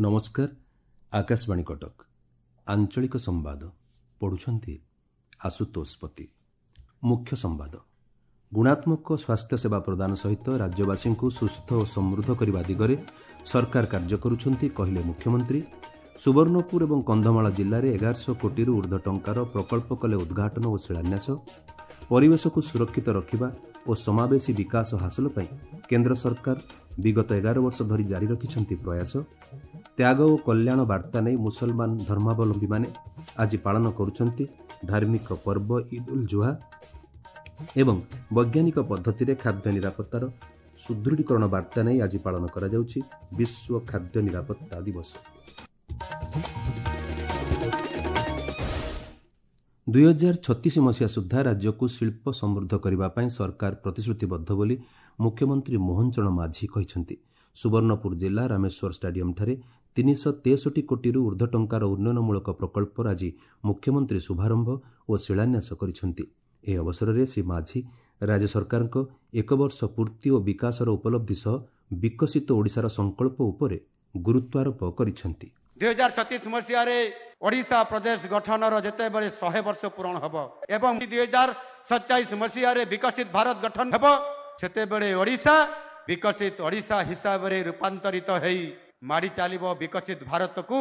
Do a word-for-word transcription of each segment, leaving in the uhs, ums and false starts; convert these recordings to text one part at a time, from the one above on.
ନମସ୍କାର, ଆକାଶବାଣୀ କଟକ, ଆଞ୍ଚଳିକ ସମ୍ବାଦ ପଢ଼ୁଛନ୍ତି ଆଶୁତୋଷ ପତି। ମୁଖ୍ୟ ସମ୍ବାଦ। ଗୁଣାତ୍ମକ ସ୍ୱାସ୍ଥ୍ୟସେବା ପ୍ରଦାନ ସହିତ ରାଜ୍ୟବାସୀଙ୍କୁ ସୁସ୍ଥ ଓ ସମୃଦ୍ଧ କରିବା ଦିଗରେ ସରକାର କାର୍ଯ୍ୟ କରୁଛନ୍ତି, କହିଲେ ମୁଖ୍ୟମନ୍ତ୍ରୀ। ସୁବର୍ଣ୍ଣପୁର ଏବଂ କନ୍ଧମାଳ ଜିଲ୍ଲାରେ ଏଗାରଶହ କୋଟିରୁ ଉର୍ଦ୍ଧ୍ୱ ଟଙ୍କାର ପ୍ରକଳ୍ପ କଲେ ଉଦ୍ଘାଟନ ଓ ଶିଳାନ୍ୟାସ। ପରିବେଶକୁ ସୁରକ୍ଷିତ ରଖିବା ଓ ସମାବେଶୀ ବିକାଶ ହାସଲ ପାଇଁ କେନ୍ଦ୍ର ସରକାର ବିଗତ ଏଗାର ବର୍ଷ ଧରି ଜାରି ରଖିଛନ୍ତି ପ୍ରୟାସ। ତ୍ୟାଗ ଓ କଲ୍ୟାଣ ବାର୍ତ୍ତା ନେଇ ମୁସଲମାନ ଧର୍ମାବଲମ୍ବୀମାନେ ଆଜି ପାଳନ କରୁଛନ୍ତି ଧାର୍ମିକ ପର୍ବ ଇଦ୍ ଉଲ୍ ଜୁହା। ଏବଂ ବୈଜ୍ଞାନିକ ପଦ୍ଧତିରେ ଖାଦ୍ୟ ନିରାପତ୍ତାର ସୁଦୃଢ଼ୀକରଣ ବାର୍ତ୍ତା ନେଇ ଆଜି ପାଳନ କରାଯାଉଛି ବିଶ୍ୱ ଖାଦ୍ୟ ନିରାପତ୍ତା ଦିବସ। ଦୁଇହଜାର ଛତିଶ ମସିହା ସୁଦ୍ଧା ରାଜ୍ୟକୁ ଶିଳ୍ପ ସମୃଦ୍ଧ କରିବା ପାଇଁ ସରକାର ପ୍ରତିଶ୍ରୁତିବଦ୍ଧ ବୋଲି ମୁଖ୍ୟମନ୍ତ୍ରୀ ମୋହନ ଚରଣ ମାଝୀ କହିଛନ୍ତି। ସୁବର୍ଣ୍ଣପୁର ଜିଲ୍ଲା ରାମେଶ୍ୱର ଷ୍ଟାଡିୟମ୍ଠାରେ ତିନିଶହ ତେଷଠି କୋଟିରୁ ଉର୍ଦ୍ଧ୍ୱ ଟଙ୍କାର ଉନ୍ନୟନମୂଳକ ପ୍ରକଳ୍ପର ଆଜି ମୁଖ୍ୟମନ୍ତ୍ରୀ ଶୁଭାରମ୍ଭ ଓ ଶିଳାନ୍ୟାସ କରିଛନ୍ତି। ଏହି ଅବସରରେ ଶ୍ରୀ ମାଝୀ ରାଜ୍ୟ ସରକାରଙ୍କ ଏକ ବର୍ଷ ପୂର୍ତ୍ତି ଓ ବିକାଶର ଉପଲବ୍ଧି ସହ ବିକଶିତ ଓଡ଼ିଶାର ସଂକଳ୍ପ ଉପରେ ଗୁରୁତ୍ୱାରୋପ କରିଛନ୍ତି। ଦୁଇହଜାର ଛତିଶ ମସିହାରେ ଓଡ଼ିଶା ପ୍ରଦେଶ ଗଠନର ଯେତେବେଳେ ଶହେ ବର୍ଷ ପୂରଣ ହେବ ଏବଂ ଦୁଇହଜାର ସତଚାଳିଶ ମସିହାରେ ବିକଶିତ ଭାରତ ଗଠନ ହେବ, ସେତେବେଳେ ଓଡ଼ିଶା ବିକଶିତ ଓଡ଼ିଶା ହିସାବରେ ରୂପାନ୍ତରିତ ହେଇ ମାଡ଼ି ଚାଲିବ। ବିକଶିତ ଭାରତକୁ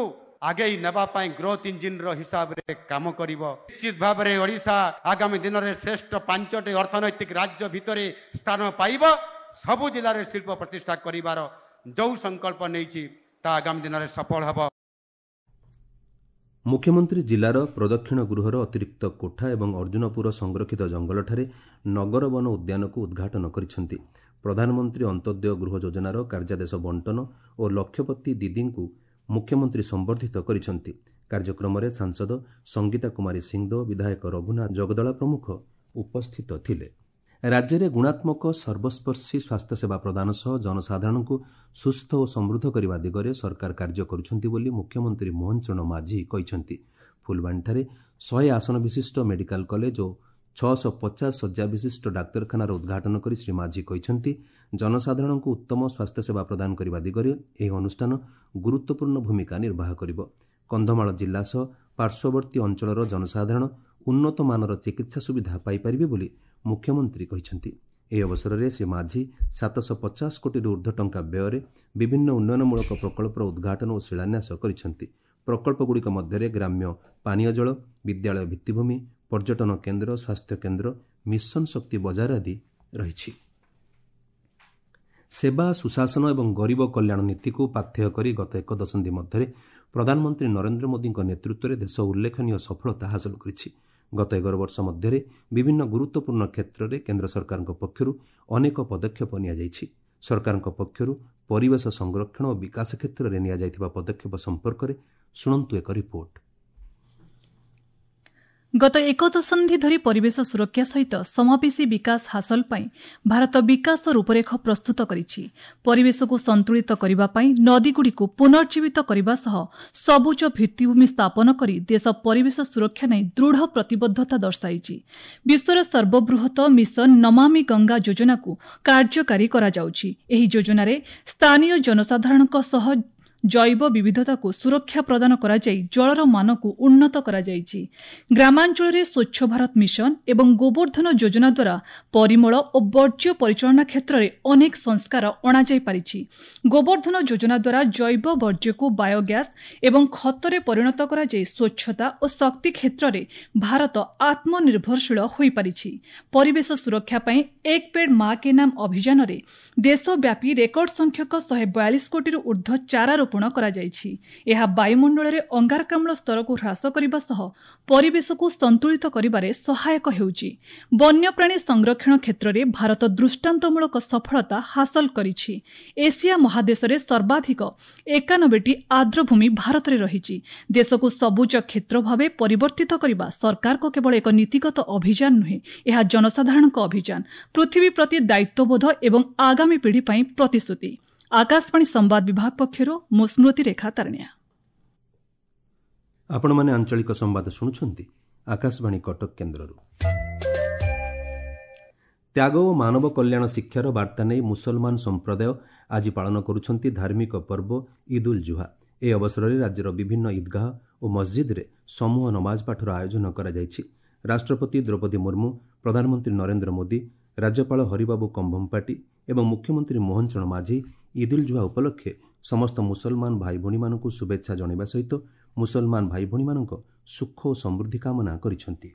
ଆଗେଇ ନେବା ପାଇଁ ଗ୍ରୋଥ ଇଞ୍ଜିନର ହିସାବରେ କାମ କରିବ। ନିଶ୍ଚିତ ଭାବରେ ଓଡ଼ିଶା ଆଗାମୀ ଦିନରେ ଶ୍ରେଷ୍ଠ ପାଞ୍ଚଟି ଅର୍ଥନୈତିକ ରାଜ୍ୟ ଭିତରେ ସ୍ଥାନ ପାଇବ। ସବୁ ଜିଲ୍ଲାରେ ଶିଳ୍ପ ପ୍ରତିଷ୍ଠା କରିବାର ଯେଉଁ ସଂକଳ୍ପ ନେଇଛି, ତା ଆଗାମୀ ଦିନରେ ସଫଳ ହେବ। ମୁଖ୍ୟମନ୍ତ୍ରୀ ଜିଲ୍ଲାର ପ୍ରଦକ୍ଷିଣ ଗୃହର ଅତିରିକ୍ତ କୋଠା ଏବଂ ଅର୍ଜୁନପୁର ସଂରକ୍ଷିତ ଜଙ୍ଗଲଠାରେ ନଗର ବନ ଉଦ୍ୟାନକୁ ଉଦ୍ଘାଟନ କରିଛନ୍ତି। ପ୍ରଧାନମନ୍ତ୍ରୀ ଅନ୍ତ୍ୟୋଦୟ ଗୃହ ଯୋଜନାର କାର୍ଯ୍ୟାଦେଶ ବଣ୍ଟନ ଓ ଲକ୍ଷପତି ଦିଦିଙ୍କୁ ମୁଖ୍ୟମନ୍ତ୍ରୀ ସମ୍ବର୍ଦ୍ଧିତ କରିଛନ୍ତି। କାର୍ଯ୍ୟକ୍ରମରେ ସାଂସଦ ସଙ୍ଗୀତା କୁମାରୀ ସିଂଦେଓ, ବିଧାୟକ ରଘୁନାଥ ଜଗଦଳା ପ୍ରମୁଖ ଉପସ୍ଥିତ ଥିଲେ। ରାଜ୍ୟରେ ଗୁଣାତ୍ମକ ସର୍ବସ୍ପର୍ଶୀ ସ୍ୱାସ୍ଥ୍ୟସେବା ପ୍ରଦାନ ସହ ଜନସାଧାରଣଙ୍କୁ ସୁସ୍ଥ ଓ ସମୃଦ୍ଧ କରିବା ଦିଗରେ ସରକାର କାର୍ଯ୍ୟ କରୁଛନ୍ତି ବୋଲି ମୁଖ୍ୟମନ୍ତ୍ରୀ ମୋହନ ଚରଣ ମାଝୀ କହିଛନ୍ତି। ଫୁଲବାଣୀଠାରେ ଶହେ ଆସନ ବିଶିଷ୍ଟ ମେଡିକାଲ କଲେଜ ଓ ଛଅଶହ ପଚାଶ ଶଯ୍ୟା ବିଶିଷ୍ଟ ଡାକ୍ତରଖାନାର ଉଦ୍ଘାଟନ କରି ଶ୍ରୀ ମାଝୀ କହିଛନ୍ତି, ଜନସାଧାରଣଙ୍କୁ ଉତ୍ତମ ସ୍ୱାସ୍ଥ୍ୟସେବା ପ୍ରଦାନ କରିବା ଦିଗରେ ଏହି ଅନୁଷ୍ଠାନ ଗୁରୁତ୍ୱପୂର୍ଣ୍ଣ ଭୂମିକା ନିର୍ବାହ କରିବ। କନ୍ଧମାଳ ଜିଲ୍ଲା ସହ ପାର୍ଶ୍ୱବର୍ତ୍ତୀ ଅଞ୍ଚଳର ଜନସାଧାରଣ ଉନ୍ନତମାନର ଚିକିତ୍ସା ସୁବିଧା ପାଇପାରିବେ ବୋଲି ମୁଖ୍ୟମନ୍ତ୍ରୀ କହିଛନ୍ତି। ଏହି ଅବସରରେ ଶ୍ରୀ ମାଝୀ ସାତଶହ ପଚାଶ କୋଟିରୁ ଉର୍ଦ୍ଧ୍ୱ ଟଙ୍କା ବ୍ୟୟରେ ବିଭିନ୍ନ ଉନ୍ନୟନମୂଳକ ପ୍ରକଳ୍ପର ଉଦ୍ଘାଟନ ଓ ଶିଳାନ୍ୟାସ କରିଛନ୍ତି। ପ୍ରକଳ୍ପଗୁଡ଼ିକ ମଧ୍ୟରେ ଗ୍ରାମ୍ୟ ପାନୀୟ ଜଳ, ବିଦ୍ୟାଳୟ ଭିତ୍ତିଭୂମି, ପର୍ଯ୍ୟଟନ କେନ୍ଦ୍ର, ସ୍ୱାସ୍ଥ୍ୟ କେନ୍ଦ୍ର, ମିଶନ ଶକ୍ତି ବଜାର ଆଦି ରହିଛି। ସେବା, ସୁଶାସନ ଏବଂ ଗରିବ କଲ୍ୟାଣ ନୀତିକୁ ପାଥେୟ କରି ଗତ ଏକ ଦଶନ୍ଧି ମଧ୍ୟରେ ପ୍ରଧାନମନ୍ତ୍ରୀ ନରେନ୍ଦ୍ର ମୋଦିଙ୍କ ନେତୃତ୍ୱରେ ଦେଶ ଉଲ୍ଲେଖନୀୟ ସଫଳତା ହାସଲ କରିଛି। ଗତ ଏଗାର ବର୍ଷ ମଧ୍ୟରେ ବିଭିନ୍ନ ଗୁରୁତ୍ୱପୂର୍ଣ୍ଣ କ୍ଷେତ୍ରରେ କେନ୍ଦ୍ର ସରକାରଙ୍କ ପକ୍ଷରୁ ଅନେକ ପଦକ୍ଷେପ ନିଆଯାଇଛି। ସରକାରଙ୍କ ପକ୍ଷରୁ ପରିବେଶ ସଂରକ୍ଷଣ ଓ ବିକାଶ କ୍ଷେତ୍ରରେ ନିଆଯାଇଥିବା ପଦକ୍ଷେପ ସମ୍ପର୍କରେ ଶୁଣନ୍ତୁ ଏକ ରିପୋର୍ଟ। ଗତ ଏକ ଦଶନ୍ଧି ଧରି ପରିବେଶ ସୁରକ୍ଷା ସହିତ ସମାବେଶୀ ବିକାଶ ହାସଲ ପାଇଁ ଭାରତ ବିକାଶ ରୂପରେଖ ପ୍ରସ୍ତୁତ କରିଛି। ପରିବେଶକୁ ସନ୍ତୁଳିତ କରିବା ପାଇଁ ନଦୀଗୁଡ଼ିକୁ ପୁନର୍ଜୀବିତ କରିବା ସହ ସବୁଜ ଭିତ୍ତିଭୂମି ସ୍ଥାପନ କରି ଦେଶ ପରିବେଶ ସୁରକ୍ଷା ନେଇ ଦୃଢ଼ ପ୍ରତିବଦ୍ଧତା ଦର୍ଶାଇଛି। ବିଶ୍ୱର ସର୍ବବୃହତ ମିଶନ ନମାମି ଗଙ୍ଗା ଯୋଜନାକୁ କାର୍ଯ୍ୟକାରୀ କରାଯାଉଛି। ଏହି ଯୋଜନାରେ ସ୍ଥାନୀୟ ଜନସାଧାରଣଙ୍କ ସହ ଜୈବ ବିବିଧତାକୁ ସୁରକ୍ଷା ପ୍ରଦାନ କରାଯାଇ ଜଳର ମାନକୁ ଉନ୍ନତ କରାଯାଇଛି। ଗ୍ରାମାଞ୍ଚଳରେ ସ୍ୱଚ୍ଛ ଭାରତ ମିଶନ ଏବଂ ଗୋବର୍ଦ୍ଧନ ଯୋଜନା ଦ୍ୱାରା ପରିମଳ ଓ ବର୍ଜ୍ୟ ପରିଚାଳନା କ୍ଷେତ୍ରରେ ଅନେକ ସଂସ୍କାର ଅଣାଯାଇପାରିଛି। ଗୋବର୍ଦ୍ଧନ ଯୋଜନା ଦ୍ୱାରା ଜୈବ ବର୍ଜ୍ୟକୁ ବାୟୋଗ୍ୟାସ୍ ଏବଂ ଖତରେ ପରିଣତ କରାଯାଇ ସ୍ୱଚ୍ଛତା ଓ ଶକ୍ତି କ୍ଷେତ୍ରରେ ଭାରତ ଆତ୍ମନିର୍ଭରଶୀଳ ହୋଇପାରିଛି। ପରିବେଶ ସୁରକ୍ଷା ପାଇଁ ଏକ ପେଡ୍ ମା କେ ନାମ ଅଭିଯାନରେ ଦେଶବ୍ୟାପୀ ରେକର୍ଡ ସଂଖ୍ୟକ ଶହେ ବୟାଳିଶ କୋଟିରୁ ଉର୍ଦ୍ଧ୍ୱ ଚାରା ରୋପଣ କରାଯାଇଛି। ଏହା ବାୟୁମଣ୍ଡଳରେ ଅଙ୍ଗାରକାମ୍ଳ ସ୍ତରକୁ ହ୍ରାସ କରିବା ସହ ପରିବେଶକୁ ସନ୍ତୁଳିତ କରିବାରେ ସହାୟକ ହେଉଛି। ବନ୍ୟପ୍ରାଣୀ ସଂରକ୍ଷଣ କ୍ଷେତ୍ରରେ ଭାରତ ଦୃଷ୍ଟାନ୍ତମୂଳକ ସଫଳତା ହାସଲ କରିଛି। ଏସିଆ ମହାଦେଶରେ ସର୍ବାଧିକ ଏକାନବେଟି ଆର୍ଦ୍ରଭୂମି ଭାରତରେ ରହିଛି। ଦେଶକୁ ସବୁଜ କ୍ଷେତ୍ର ଭାବେ ପରିବର୍ତ୍ତିତ କରିବା ସରକାରଙ୍କ କେବଳ ଏକ ନୀତିଗତ ଅଭିଯାନ ନୁହେଁ, ଏହା ଜନସାଧାରଣଙ୍କ ଅଭିଯାନ, ପୃଥିବୀ ପ୍ରତି ଦାୟିତ୍ୱବୋଧ ଏବଂ ଆଗାମୀ ପିଢ଼ି ପାଇଁ ପ୍ରତିଶ୍ରୁତି। ଆକାଶବାଣୀ ସମ୍ବାଦ ବିଭାଗ ପକ୍ଷରୁ ମୁଁ ସ୍ମୃତିରେଖା ତାରଣିଆ। ଆପଣମାନେ ଆଞ୍ଚଳିକ ସମ୍ବାଦ ଶୁଣୁଛନ୍ତି ଆକାଶବାଣୀ କଟକ କେନ୍ଦ୍ରରୁ। ତ୍ୟାଗ ଓ ମାନବ କଲ୍ୟାଣ ଶିକ୍ଷାର ବାର୍ତ୍ତା ନେଇ ମୁସଲମାନ ସମ୍ପ୍ରଦାୟ ଆଜି ପାଳନ କରୁଛନ୍ତି ଧାର୍ମିକ ପର୍ବ ଇଦ୍ ଉଲ୍ ଜୁହା। ଏହି ଅବସରରେ ରାଜ୍ୟର ବିଭିନ୍ନ ଇଦ୍ଗାହ ଓ ମସଜିଦ୍ରେ ସମୂହ ନମାଜ ପାଠର ଆୟୋଜନ କରାଯାଇଛି। ରାଷ୍ଟ୍ରପତି ଦ୍ରୌପଦୀ ମୁର୍ମୁ, ପ୍ରଧାନମନ୍ତ୍ରୀ ନରେନ୍ଦ୍ର ମୋଦି, ରାଜ୍ୟପାଳ ହରିବାବୁ କମ୍ଭମପାଟି ଏବଂ ମୁଖ୍ୟମନ୍ତ୍ରୀ ମୋହନ ଚରଣ ମାଝୀ ଇଦ୍ ଉଲ୍ ଜୁହା ଉପଲକ୍ଷେ ସମସ୍ତ ମୁସଲମାନ ଭାଇଭଉଣୀମାନଙ୍କୁ ଶୁଭେଚ୍ଛା ଜଣାଇବା ସହିତ ମୁସଲମାନ ଭାଇଭଉଣୀମାନଙ୍କ ସୁଖ ଓ ସମୃଦ୍ଧି କାମନା କରିଛନ୍ତି।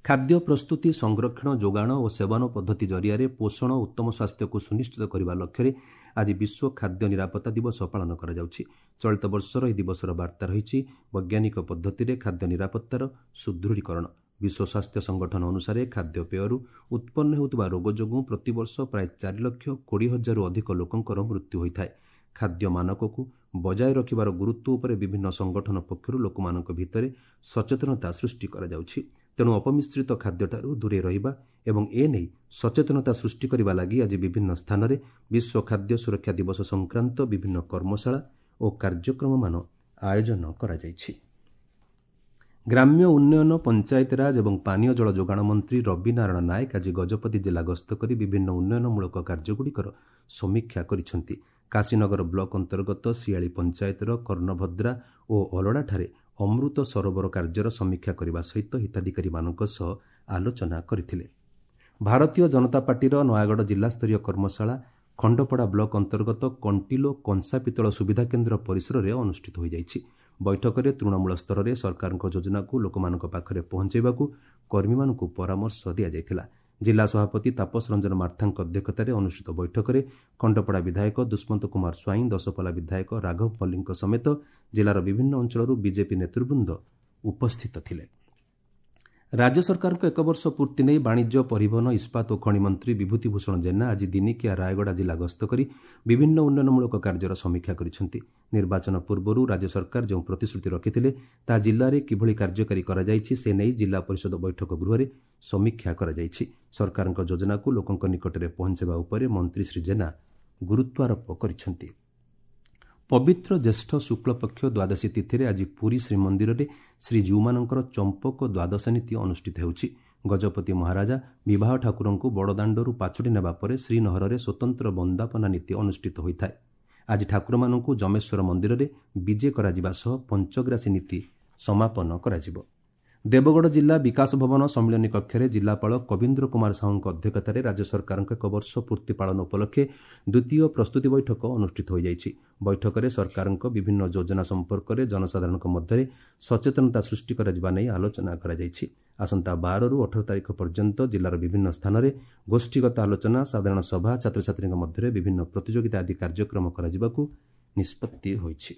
ଖାଦ୍ୟ ପ୍ରସ୍ତୁତି, ସଂରକ୍ଷଣ, ଯୋଗାଣ ଓ ସେବନ ପଦ୍ଧତି ଜରିଆରେ ପୋଷଣ ଓ ଉତ୍ତମ ସ୍ୱାସ୍ଥ୍ୟକୁ ସୁନିଶ୍ଚିତ କରିବା ଲକ୍ଷ୍ୟରେ ଆଜି ବିଶ୍ୱ ଖାଦ୍ୟ ନିରାପତ୍ତା ଦିବସ ପାଳନ କରାଯାଉଛି। ଚଳିତ ବର୍ଷର ଏହି ଦିବସର ବାର୍ତ୍ତା ରହିଛି ବୈଜ୍ଞାନିକ ପଦ୍ଧତିରେ ଖାଦ୍ୟ ନିରାପତ୍ତାର ସୁଦୃଢ଼ୀକରଣ। ବିଶ୍ୱ ସ୍ୱାସ୍ଥ୍ୟ ସଂଗଠନ ଅନୁସାରେ ଖାଦ୍ୟପେୟରୁ ଉତ୍ପନ୍ନ ହେଉଥିବା ରୋଗ ଯୋଗୁଁ ପ୍ରତିବର୍ଷ ପ୍ରାୟ ଚାରି ଲକ୍ଷ କୋଡ଼ିଏ ହଜାରରୁ ଅଧିକ ଲୋକଙ୍କର ମୃତ୍ୟୁ ହୋଇଥାଏ। ଖାଦ୍ୟ ମାନକକୁ ବଜାୟ ରଖିବାର ଗୁରୁତ୍ୱ ଉପରେ ବିଭିନ୍ନ ସଂଗଠନ ପକ୍ଷରୁ ଲୋକମାନଙ୍କ ଭିତରେ ସଚେତନତା ସୃଷ୍ଟି କରାଯାଉଛି। ତେଣୁ ଅପମିଶ୍ରିତ ଖାଦ୍ୟଠାରୁ ଦୂରେଇ ରହିବା ଏବଂ ଏ ନେଇ ସଚେତନତା ସୃଷ୍ଟି କରିବା ଲାଗି ଆଜି ବିଭିନ୍ନ ସ୍ଥାନରେ ବିଶ୍ୱ ଖାଦ୍ୟ ସୁରକ୍ଷା ଦିବସ ସଂକ୍ରାନ୍ତ ବିଭିନ୍ନ କର୍ମଶାଳା ଓ କାର୍ଯ୍ୟକ୍ରମମାନ ଆୟୋଜନ କରାଯାଇଛି। ଗ୍ରାମ୍ୟ ଉନ୍ନୟନ, ପଞ୍ଚାୟତିରାଜ ଏବଂ ପାନୀୟ ଜଳ ଯୋଗାଣ ମନ୍ତ୍ରୀ ରବି ନାରାୟଣ ନାୟକ ଆଜି ଗଜପତି ଜିଲ୍ଲା ଗସ୍ତ କରି ବିଭିନ୍ନ ଉନ୍ନୟନମୂଳକ କାର୍ଯ୍ୟଗୁଡ଼ିକର ସମୀକ୍ଷା କରିଛନ୍ତି। କାଶୀନଗର ବ୍ଲକ ଅନ୍ତର୍ଗତ ଶିଆଳି ପଞ୍ଚାୟତର କର୍ଣ୍ଣଭଦ୍ରା ଓ ଅଲଡ଼ାଠାରେ ଅମୃତ ସରୋବର କାର୍ଯ୍ୟର ସମୀକ୍ଷା କରିବା ସହିତ ହିତାଧିକାରୀମାନଙ୍କ ସହ ଆଲୋଚନା କରିଥିଲେ। ଭାରତୀୟ ଜନତା ପାର୍ଟିର ନୟାଗଡ଼ ଜିଲ୍ଲାସ୍ତରୀୟ କର୍ମଶାଳା ଖଣ୍ଡପଡ଼ା ବ୍ଲକ ଅନ୍ତର୍ଗତ କଣ୍ଟିଲୋ କଂସା ପିତ୍ତଳ ସୁବିଧା କେନ୍ଦ୍ର ପରିସରରେ ଅନୁଷ୍ଠିତ ହୋଇଯାଇଛି। ବୈଠକରେ ତୃଣମୂଳ ସ୍ତରରେ ସରକାରଙ୍କ ଯୋଜନାକୁ ଲୋକମାନଙ୍କ ପାଖରେ ପହଞ୍ଚାଇବାକୁ କର୍ମୀମାନଙ୍କୁ ପରାମର୍ଶ ଦିଆଯାଇଥିଲା। ଜିଲ୍ଲା ସଭାପତି ତାପସ ରଞ୍ଜନ ମାର୍ଥାଙ୍କ ଅଧ୍ୟକ୍ଷତାରେ ଅନୁଷ୍ଠିତ ବୈଠକରେ ଖଣ୍ଡପଡ଼ା ବିଧାୟକ ଦୁଷ୍ମନ୍ତ କୁମାର ସ୍ୱାଇଁ, ଦଶପଲା ବିଧାୟକ ରାଘବ ମଲ୍ଲିକଙ୍କ ସମେତ ଜିଲ୍ଲାର ବିଭିନ୍ନ ଅଞ୍ଚଳରୁ ବିଜେପି ନେତୃବୃନ୍ଦ ଉପସ୍ଥିତ ଥିଲେ। ରାଜ୍ୟ ସରକାରଙ୍କ ଏକ ବର୍ଷ ପୂର୍ତ୍ତି ନେଇ ବାଣିଜ୍ୟ, ପରିବହନ, ଇସ୍ପାତ ଓ ଖଣି ମନ୍ତ୍ରୀ ବିଭୂତି ଭୂଷଣ ଜେନା ଆଜି ଦିନିକିଆ ରାୟଗଡ଼ା ଜିଲ୍ଲା ଗସ୍ତ କରି ବିଭିନ୍ନ ଉନ୍ନୟନମୂଳକ କାର୍ଯ୍ୟର ସମୀକ୍ଷା କରିଛନ୍ତି। ନିର୍ବାଚନ ପୂର୍ବରୁ ରାଜ୍ୟ ସରକାର ଯେଉଁ ପ୍ରତିଶ୍ରୁତି ରଖିଥିଲେ ତାହା ଜିଲ୍ଲାରେ କିଭଳି କାର୍ଯ୍ୟକାରୀ କରାଯାଇଛି ସେ ନେଇ ଜିଲ୍ଲା ପରିଷଦ ବୈଠକ ଗୃହରେ ସମୀକ୍ଷା କରାଯାଇଛି। ସରକାରଙ୍କ ଯୋଜନାକୁ ଲୋକଙ୍କ ନିକଟରେ ପହଞ୍ଚାଇବା ଉପରେ ମନ୍ତ୍ରୀ ଶ୍ରୀ ଜେନା ଗୁରୁତ୍ୱାରୋପ କରିଛନ୍ତି। ପବିତ୍ର ଜ୍ୟେଷ୍ଠ ଶୁକ୍ଳପକ୍ଷ ଦ୍ୱାଦଶୀ ତିଥିରେ ଆଜି ପୁରୀ ଶ୍ରୀମନ୍ଦିରରେ ଶ୍ରୀଜୀଉମାନଙ୍କର ଚମ୍ପକ ଦ୍ୱାଦଶ ନୀତି ଅନୁଷ୍ଠିତ ହେଉଛି। ଗଜପତି ମହାରାଜା ବିବାହ ଠାକୁରଙ୍କୁ ବଡ଼ଦାଣ୍ଡରୁ ପାଛୋଟି ନେବା ପରେ ଶ୍ରୀନହରରେ ସ୍ୱତନ୍ତ୍ର ବନ୍ଦାପନା ନୀତି ଅନୁଷ୍ଠିତ ହୋଇଥାଏ। ଆଜି ଠାକୁରମାନଙ୍କୁ ଯମେଶ୍ୱର ମନ୍ଦିରରେ ବିଜେ କରାଯିବା ସହ ପଞ୍ଚଗ୍ରାସୀ ନୀତି ସମାପନ କରାଯିବ। ଦେବଗଡ଼ ଜିଲ୍ଲା ବିକାଶ ଭବନ ସମ୍ମିଳନୀ କକ୍ଷରେ ଜିଲ୍ଲାପାଳ କବୀନ୍ଦ୍ର କୁମାର ସାହୁଙ୍କ ଅଧ୍ୟକ୍ଷତାରେ ରାଜ୍ୟ ସରକାରଙ୍କ ଏକ ବର୍ଷ ପୂର୍ତ୍ତି ପାଳନ ଉପଲକ୍ଷେ ଦ୍ୱିତୀୟ ପ୍ରସ୍ତୁତି ବୈଠକ ଅନୁଷ୍ଠିତ ହୋଇଯାଇଛି। ବୈଠକରେ ସରକାରଙ୍କ ବିଭିନ୍ନ ଯୋଜନା ସମ୍ପର୍କରେ ଜନସାଧାରଣଙ୍କ ମଧ୍ୟରେ ସଚେତନତା ସୃଷ୍ଟି କରାଯିବା ନେଇ ଆଲୋଚନା କରାଯାଇଛି। ଆସନ୍ତା ବାରରୁ ଅଠର ତାରିଖ ପର୍ଯ୍ୟନ୍ତ ଜିଲ୍ଲାର ବିଭିନ୍ନ ସ୍ଥାନରେ ଗୋଷ୍ଠୀଗତ ଆଲୋଚନା, ସାଧାରଣ ସଭା, ଛାତ୍ରଛାତ୍ରୀଙ୍କ ମଧ୍ୟରେ ବିଭିନ୍ନ ପ୍ରତିଯୋଗିତା ଆଦି କାର୍ଯ୍ୟକ୍ରମ କରାଯିବାକୁ ନିଷ୍ପତ୍ତି ହୋଇଛି।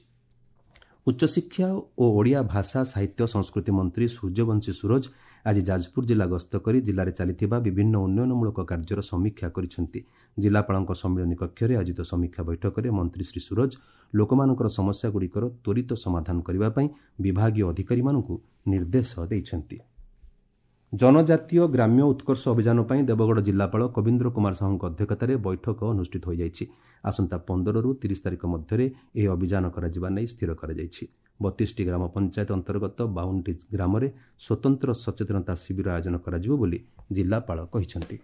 ଉଚ୍ଚଶିକ୍ଷା ଓ ଓଡ଼ିଆ ଭାଷା ସାହିତ୍ୟ ସଂସ୍କୃତି ମନ୍ତ୍ରୀ ସୂର୍ଯ୍ୟବଂଶୀ ସୂରଜ ଆଜି ଯାଜପୁର ଜିଲ୍ଲା ଗସ୍ତ କରି ଜିଲ୍ଲାରେ ଚାଲିଥିବା ବିଭିନ୍ନ ଉନ୍ନୟନମୂଳକ କାର୍ଯ୍ୟର ସମୀକ୍ଷା କରିଛନ୍ତି। ଜିଲ୍ଲାପାଳଙ୍କ ସମ୍ମିଳନୀ କକ୍ଷରେ ଆୟୋଜିତ ସମୀକ୍ଷା ବୈଠକରେ ମନ୍ତ୍ରୀ ଶ୍ରୀ ସୂରଜ ଲୋକମାନଙ୍କର ସମସ୍ୟାଗୁଡ଼ିକର ତ୍ୱରିତ ସମାଧାନ କରିବା ପାଇଁ ବିଭାଗୀୟ ଅଧିକାରୀମାନଙ୍କୁ ନିର୍ଦ୍ଦେଶ ଦେଇଛନ୍ତି। ଜନଜାତୀୟ ଗ୍ରାମ୍ୟ ଉତ୍କର୍ଷ ଅଭିଯାନ ପାଇଁ ଦେବଗଡ଼ ଜିଲ୍ଲାପାଳ କବୀନ୍ଦ୍ର କୁମାର ସାହୁଙ୍କ ଅଧ୍ୟକ୍ଷତାରେ ବୈଠକ ଅନୁଷ୍ଠିତ ହୋଇଯାଇଛି। ଆସନ୍ତା ପନ୍ଦରରୁ ତିରିଶ ତାରିଖ ମଧ୍ୟରେ ଏହି ଅଭିଯାନ କରାଯିବା ନେଇ ସ୍ଥିର କରାଯାଇଛି। ବତିଶଟି ଗ୍ରାମ ପଞ୍ଚାୟତ ଅନ୍ତର୍ଗତ ବାଉନଟି ଗ୍ରାମରେ ସ୍ୱତନ୍ତ୍ର ସଚେତନତା ଶିବିର ଆୟୋଜନ କରାଯିବ ବୋଲି ଜିଲ୍ଲାପାଳ କହିଛନ୍ତି।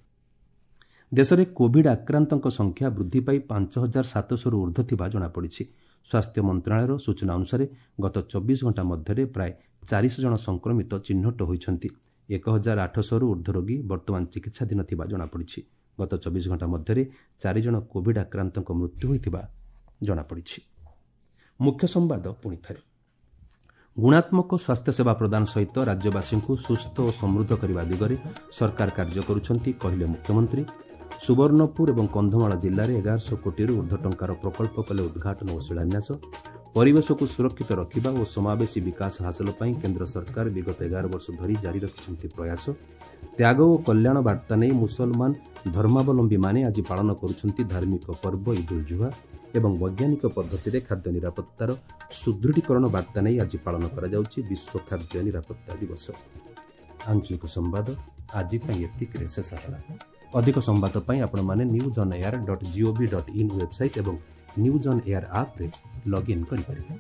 ଦେଶରେ କୋଭିଡ୍ ଆକ୍ରାନ୍ତଙ୍କ ସଂଖ୍ୟା ବୃଦ୍ଧି ପାଇ ପାଞ୍ଚ ହଜାର ସାତଶହରୁ ଉର୍ଦ୍ଧ୍ୱ ଥିବା ଜଣାପଡ଼ିଛି। ସ୍ୱାସ୍ଥ୍ୟ ମନ୍ତ୍ରଣାଳୟର ସୂଚନା ଅନୁସାରେ ଗତ ଚବିଶ ଘଣ୍ଟା ମଧ୍ୟରେ ପ୍ରାୟ ଚାରିଶହ ଜଣ ସଂକ୍ରମିତ ଚିହ୍ନଟ ହୋଇଛନ୍ତି। ଏକ ହଜାର ଆଠଶହରୁ ଉର୍ଦ୍ଧ୍ୱ ରୋଗୀ ବର୍ତ୍ତମାନ ଚିକିତ୍ସାଧୀନ ଥିବା ଜଣାପଡ଼ିଛି। ଗତ ଚବିଶ ଘଣ୍ଟା ମଧ୍ୟରେ ଚାରି ଜଣ କୋଭିଡ୍ ଆକ୍ରାନ୍ତଙ୍କ ମୃତ୍ୟୁ ହୋଇଥିବା ଜଣାପଡ଼ିଛି। ମୁଖ୍ୟ ସମ୍ବାଦ ପୁଣି ଥରେ। ଗୁଣାତ୍ମକ ସ୍ୱାସ୍ଥ୍ୟସେବା ପ୍ରଦାନ ସହିତ ରାଜ୍ୟବାସୀଙ୍କୁ ସୁସ୍ଥ ଓ ସମୃଦ୍ଧ କରିବା ଦିଗରେ ସରକାର କାର୍ଯ୍ୟ କରୁଛନ୍ତି, କହିଲେ ମୁଖ୍ୟମନ୍ତ୍ରୀ। ସୁବର୍ଣ୍ଣପୁର ଏବଂ କନ୍ଧମାଳ ଜିଲ୍ଲାରେ ଏଗାରଶହ କୋଟିରୁ ଉର୍ଦ୍ଧ୍ୱ ଟଙ୍କାର ପ୍ରକଳ୍ପ କଲେ ଉଦ୍ଘାଟନ ଓ ଶିଳାନ୍ୟାସ। ପରିବେଶକୁ ସୁରକ୍ଷିତ ରଖିବା ଓ ସମାବେଶୀ ବିକାଶ ହାସଲ ପାଇଁ କେନ୍ଦ୍ର ସରକାର ବିଗତ ଏଗାର ବର୍ଷ ଧରି ଜାରି ରଖିଛନ୍ତି ପ୍ରୟାସ। ତ୍ୟାଗ ଓ କଲ୍ୟାଣ ବାର୍ତ୍ତା ନେଇ ମୁସଲମାନ ଧର୍ମାବଲମ୍ବୀମାନେ ଆଜି ପାଳନ କରୁଛନ୍ତି ଧାର୍ମିକ ପର୍ବ ଇଦ୍ ଉଲ୍ ଜୁହା ଏବଂ ବୈଜ୍ଞାନିକ ପଦ୍ଧତିରେ ଖାଦ୍ୟ ନିରାପତ୍ତାର ସୁଦୃଢ଼ୀକରଣ ବାର୍ତ୍ତା ନେଇ ଆଜି ପାଳନ କରାଯାଉଛି ବିଶ୍ୱ ଖାଦ୍ୟ ନିରାପତ୍ତା ଦିବସ। ଆଞ୍ଚଳିକ ସମ୍ବାଦ ଆଜି ପାଇଁ ଏତିକିରେ ଶେଷ ହେଲା। ଅଧିକ ସମ୍ବାଦ ପାଇଁ ଆପଣମାନେ news on air dot gov dot in website ଏବଂ ନ୍ୟୁଜ୍ ଅନ୍ ଏୟାର ଆପ୍ରେ ଲଗ୍ଇନ୍ କରିପାରିବେ।